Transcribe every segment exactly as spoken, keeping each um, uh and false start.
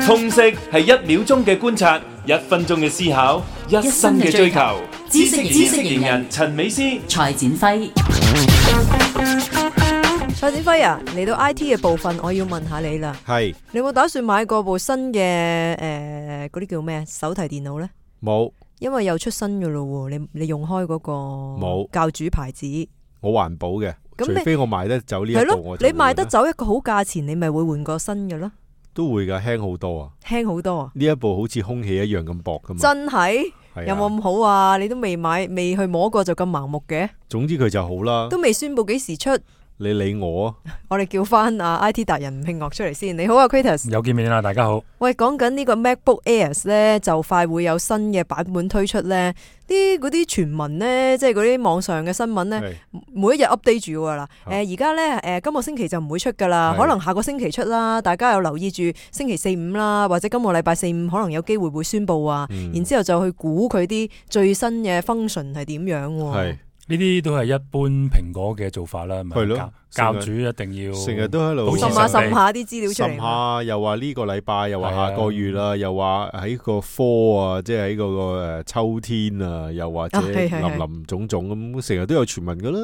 通識係一秒鐘嘅觀察，一分鐘嘅思考，一生嘅追求。知識知識型人陳美詩、蔡展輝。蔡展輝啊，嚟到 I T 嘅部分，我要問下你啦。係，你有冇打算買過部新嘅誒嗰啲叫咩手提電腦呢？冇，因為又出新嘅咯喎。你你用開嗰個冇教主牌子，我環保嘅，咁你除非我賣得走呢一係咯部，我就你賣得會啦走一個好價錢，你咪會換個新嘅咯，都會噶，輕好多啊！輕好多啊！呢一部好似空氣一樣咁薄噶嘛，真係係啊有冇咁好啊？你都未買，未去摸過就咁盲目嘅，總之佢就好啦。都未宣布幾時出。你理我啊！我哋叫翻啊 I T 達人吳慶樂出嚟先。你好啊 Kratos。有見面啦，大家好。喂，講緊呢個 MacBook Airs 咧，就快會有新嘅版本推出咧。啲嗰啲傳聞咧，即係嗰啲網上嘅新聞咧，係每一日 update 住噶啦。好誒而家咧誒今個星期就唔會出噶啦，係可能下個星期出啦。大家有留意住星期四五啦，或者今個禮拜四五可能有機會會宣佈啊。嗯然之後就去估佢啲最新嘅 function 係點樣喎。係呢啲都係一般蘋果嘅做法啦，咪係咯教教主一定要成日都喺度保持滲下神秘滲下啲資料出滲嚟。下，又話呢個禮拜，又話係啊下個月啦，又話喺個 fall 啊，即係喺嗰個誒秋天啊，又或者啊係係係林林總總咁，成日都有傳聞噶啦。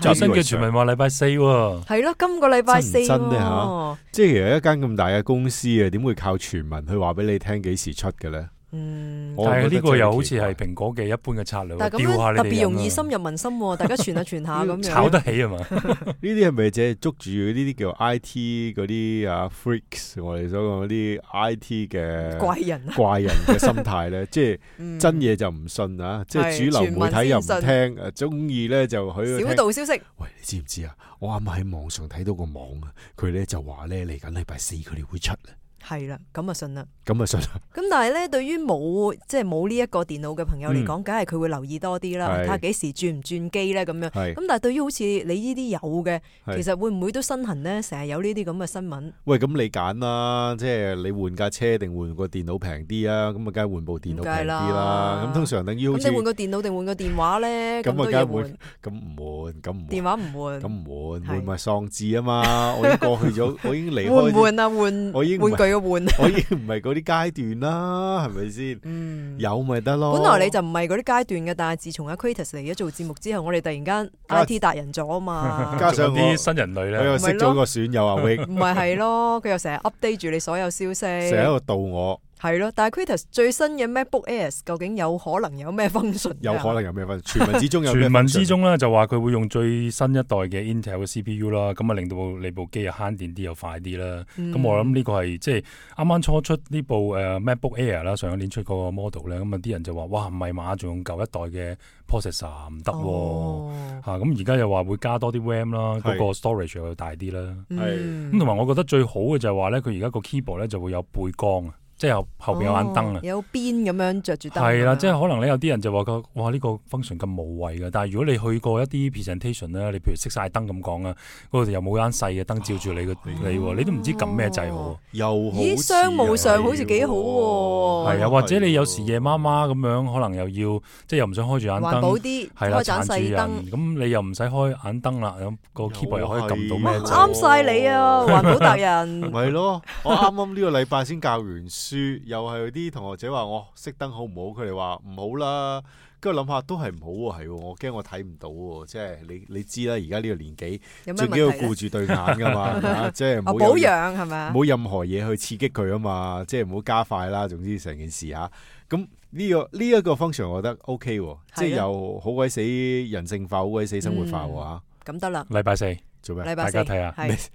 最新嘅傳習以為常聞話禮拜四喎，係咯，今個禮拜四真唔真呢喎。即係其實一間咁大嘅公司啊，點會靠傳聞去話俾你聽幾時出嘅咧？嗯，我但係呢個又好似覺得真係奇怪係蘋果嘅一般嘅策略，但係咁吊下樣特別你哋人啊容易深入民心喎，大家傳下傳下咁樣。炒得起啊嘛。呢啲係咪淨係捉住呢啲叫 I T 嗰啲啊 freaks，我哋所講嗰啲 I T 嘅怪人啊，怪人嘅心態咧？即係嗯真嘢就唔信啊，即係主流媒體又唔聽，誒中意咧就喺度小聽。道消息。喂，你知唔知啊？我啱啱喺網上睇到個網啊，佢咧就話咧嚟緊禮拜四佢哋會出啊，係啦，咁啊信啦。咁啊信啦。咁但係咧，對於冇即係冇呢一個電腦嘅朋友嚟講，梗係佢會留意多啲啦，係睇下幾時轉唔轉機咧咁樣。係咁但係對於好似你呢啲有嘅，係其實會唔會都身痕咧？成日有呢啲咁嘅新聞。喂，咁你揀啦，即係你換架車定換個電腦平啲啊？咁啊，梗係換部電腦平啲梗係啦啦。咁通常等於好似咁你換個電腦定換個電話咧？咁啊，咁都梗係換要換。咁唔換，咁唔電換，話唔換，咁唔換，係換咪喪志啊嘛！我已經過去咗，我已經離換唔開，換啊？換我已經唔係玩具嘅換。我已經唔係嗰啲階段啦，係咪先？嗯。有咪得咯。本來你就唔係嗰啲階段嘅，但係自從阿 Kratos 嚟咗做節目之後，我哋突然間 I T 達人咗啊嘛。加上我啲新人類咧，我又識咗個損友阿 Wing，唔係係咯，佢又成日 update 住你所有消息，成日喺度導我，係咯。但係 Kratos 最新嘅 MacBook Airs 究竟有可能有咩 function？有可能有咩分？傳聞之中有咩傳分？聞之中咧就話佢會用最新一代嘅 Intel 嘅 C P U 啦，咁啊令到你部機又慳電啲又快啲啦。咁、嗯我諗呢個係即係啱啱初出呢部誒 MacBook Air 啦，上一年出嗰個 model 咧，咁啊啲人就話哇唔係嘛，仲用舊一代嘅 processor 唔得喎。哦嚇咁而家又話會加多啲 RAM 啦，嗰、係個 storage 又大啲啦。嗯咁同埋我覺得最好嘅就係話咧，佢而家個 keyboard 咧就會有背光啊，即係後後邊有眼燈啊哦。有邊咁樣着住燈。係啦，即係可能咧有啲人就話個哇呢、個 function 咁無謂嘅，但係如果你去過一啲 presentation 咧，你譬如熄晒燈咁講啊，嗰度又冇間細嘅燈照住你個你喎，你都唔知撳咩掣好。又好咦，似商務上係好似幾好喎。係啊，或者你有時夜媽媽咁樣，可能又要即係又唔想開住眼環保燈，啲，係啦，開盞撐住細燈。人，咁你又唔使開眼燈啦，咁個 keyboard 又可以撳到咩又係掣。啱晒你啊，環保達人。咪咯，我啱啱呢個禮拜先教完書，又係啲同學仔話我熄燈好唔好？佢哋話唔好啦。跟住諗下都係唔好喎，係喎，我驚我睇唔到喎，即係你你知啦，而家呢個年紀有咩最緊要問題咧？顧住對眼噶嘛，係嘛即係唔哦，保好有養係咪啊？冇任何嘢去刺激佢啊嘛，即係唔好加快啦。總之成件事嚇，咁呢、個呢一、個 function 我覺得 OK 喎，即係又好鬼死人性化，好鬼死生活化喎嚇。咁得啦，禮拜四做咩？禮拜四大家睇下係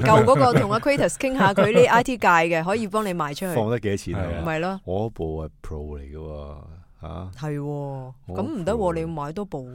舊嗰個同阿 Kratos 傾下佢啲 I T 界嘅，可以幫你賣出去，放得幾多錢係啊啊？咪咯？我部係 Pro 嚟嘅喎嚇，係喎，咁唔得喎，你要買多部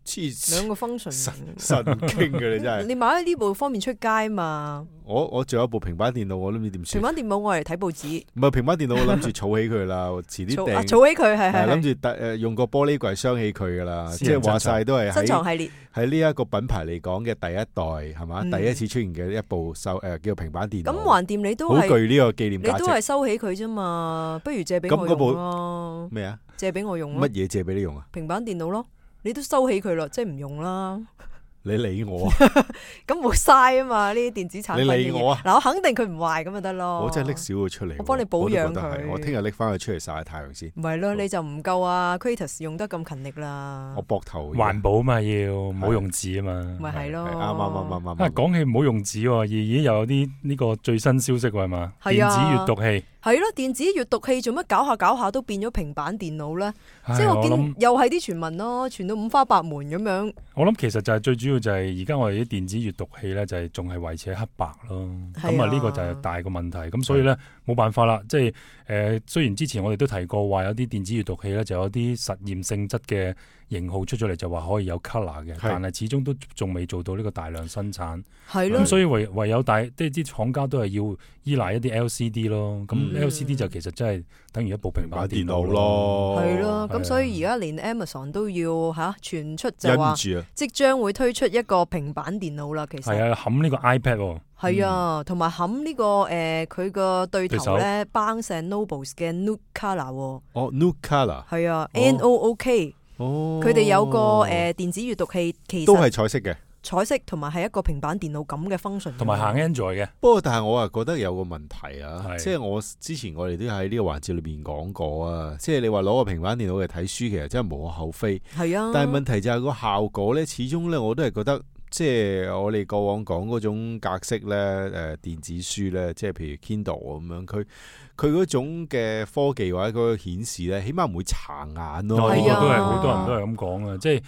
黐線兩個 function。神神經嘅你真係。你買咗呢部方面出街嘛？我我仲有部平板電腦，我都唔知點算。平板電腦我嚟睇報紙，唔係平板電腦，我諗住儲起佢啦，我遲啲儲啊訂。儲起佢係係係諗係住誒用個玻璃櫃鑲起佢噶啦，即私人係話晒都係珍喺藏系列。喺呢一個品牌嚟講嘅第一代係嘛，嗯第一次出現嘅一部手誒叫平板電腦。咁橫掂你都好係具呢個紀念你都價值。係收起佢啫嘛，不如借俾我咁嗰部用咯，咩啊？借俾我用咯乜，嘢借俾你用啊？平板電腦咯，你都收起佢咯，即係唔用啦。你理我啊！咁冇嘥啊嘛，呢啲電子產品嘅嘢。你理我啊嗱，我肯定佢唔壞咁就得咯。我真係拎少佢出嚟喎，我幫你保養我都覺得佢係我聽日拎翻佢出嚟曬下太陽先。唔係咯，你就唔夠啊 Kratos 用得咁勤力啦。我膊頭環保嘛，要唔好用紙啊嘛。咪係咯，係啱啱啱啱啊，啱。講起唔好用紙喎，咦咦又有啲呢個最新消息喎係嘛？係啊電子閱讀器，係咯，電子閱讀器做乜搞下搞下都變咗平板電腦咧？唉即係我見我諗又係啲傳聞咯，傳到五花八門咁樣。我諗其實就係最主要就係而家我哋啲電子閱讀器咧就係仲係維持喺黑白咯，係啊咁啊呢個就係大個問題，咁所以咧冇辦法啦，即係誒、呃、雖然之前我哋都提過話有啲電子閱讀器咧就有啲實驗性質嘅型號出咗嚟就話可以有 colour 嘅，但係始終都仲未做到呢個大量生產，係咯咁，所以唯唯有大即係啲廠家都係要依賴一啲 L C D 咯，咁嗯 L C D 就其實真係等於一部平板電腦電腦咯，係咯，咁係啊所以而家連 Amazon 都要吓傳出就話忍住啊！即將會推出一個平板電腦啦。其實係啊，冚呢個 iPad 喎。係啊，同埋冚呢個誒佢個對頭咧，Barnes and Noble 嘅 Nook Color 喎。哦 ，New Color，係啊，N O O K，哦，佢哋有個誒電子閱讀器，其都實係彩色嘅。彩色同埋係一個平板電腦咁嘅 function，同埋行 Android 嘅，不過，但係我啊覺得有個問題啊，係即係我之前我哋都喺呢個環節裏邊講過啊，即係你話攞個平板電腦嚟睇書，其實真係無可厚非。係啊，但係問題就係個效果咧，始終咧我都係覺得，即係我哋過往講嗰種格式咧，誒電子書咧，即係譬如 Kindle 咁樣，佢佢嗰種嘅科技或者嗰個顯示咧，起碼唔會殘眼咯。呢係啊個都係好多人都係咁講啊，即係。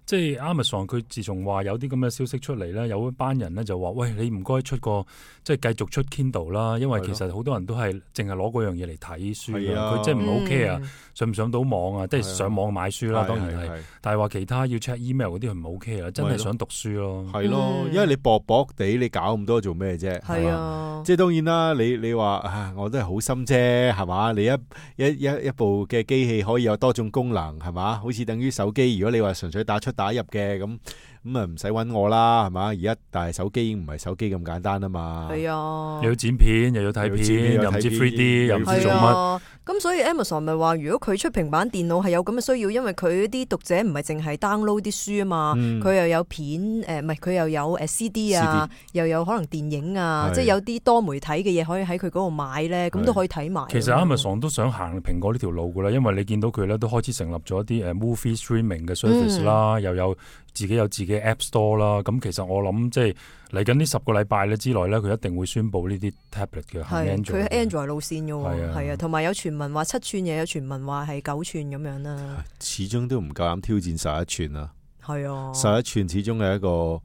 即係 Amazon 佢自從話有啲咁嘅消息出嚟咧，有一班人咧就話：喂，你唔該出個即係繼續出 Kindle 啦，因為其實好多人都係淨係攞嗰樣嘢嚟睇書係啊佢即係唔 OK 啊，嗯上唔上到網啊，即係上網買書啦，當然係。係但係話其他要 check email 嗰啲佢唔 OK 啊，真係想讀書咯。係咯，嗯因為你薄薄地，你搞咁多做咩啫？係嘛啊，即係當然啦，你你話啊，我都係好心啫，係嘛？你一一一一部嘅機器可以有多種功能，係嘛？好似等於手機，如果你話純粹打出打入嘅咁。咁啊唔使揾我啦，係嘛？而家但係手機已經唔係手機咁簡單啊嘛。係啊，又要剪片，又要睇又要剪片片，又要睇又唔知 three 片 D，又唔知做係乜。啊，咁所以 Amazon 咪話，如果佢出平板電腦係有咁嘅需要，因為佢啲讀者唔係淨係 download 啲書啊嘛，嗯佢又有片誒，唔係佢又有誒 C D 啊，又有可能電影啊，係即係有啲多媒體嘅嘢可以喺佢嗰度買咧，咁都可以睇埋。其實 Amazon 都想行蘋果呢條路噶啦，因為你見到佢咧都開始成立咗一啲誒 movie streaming 嘅 service 啦，嗯又有自己有自己 App Store 啦。咁其實我諗即係嚟緊呢十個禮拜咧之內咧，佢一定會宣布呢啲 tablet 嘅行係 Android 佢嘅 Android 路線嘅喎，係啊係啊，同埋有傳聞話七寸，又有傳聞話係九寸咁樣啦，始終都唔夠膽挑戰十一寸啊！係啊。十一寸始終係一個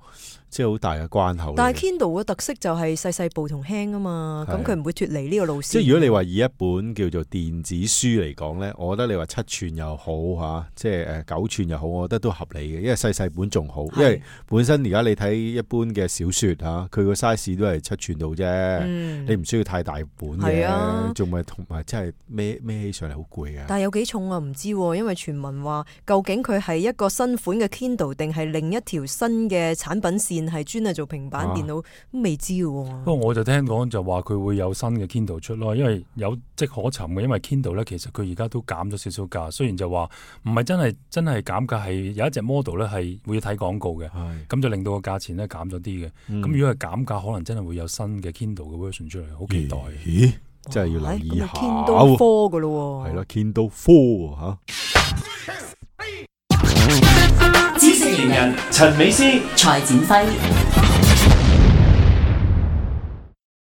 即係好大嘅關口嚟嘅。但係 Kindle 嘅特色就係細細部同輕啊嘛，咁係佢唔會脫離呢個路線。即係如果你話以一本叫做電子書嚟講咧，我覺得你話七寸又好嚇，即係誒九寸又好，我覺得都合理嘅，因為細細本仲好。係因為本身而家你睇一般嘅小説嚇，佢個 size 都係七寸度啫，嗯你唔需要太大本係啊嘅，仲咪同埋真係孭孭起上嚟好攰嘅。但係有幾重啊？唔知喎，因為傳聞話究竟佢係一個新款嘅 Kindle 定係另一條新嘅產品線係專係做平板電腦，都未知嘅喎。不過我就聽講就話佢會有新嘅 Kindle 出咯，因為有跡可尋嘅。因為 Kindle 咧，其實佢而家都減咗少少價，雖然就話唔係真係真係減價，係有一隻 model 咧係會睇廣告嘅，係咁就令到個價錢咧減咗啲嘅。咁、嗯如果係減價，可能真係會有新嘅 Kindle 嘅 version 出嚟，好期待。咦？真係要留意下咁啊 Kindle Four 嘅咯喎。係咯，Kindle Four 嚇。知識型人陳美斯。蔡展輝。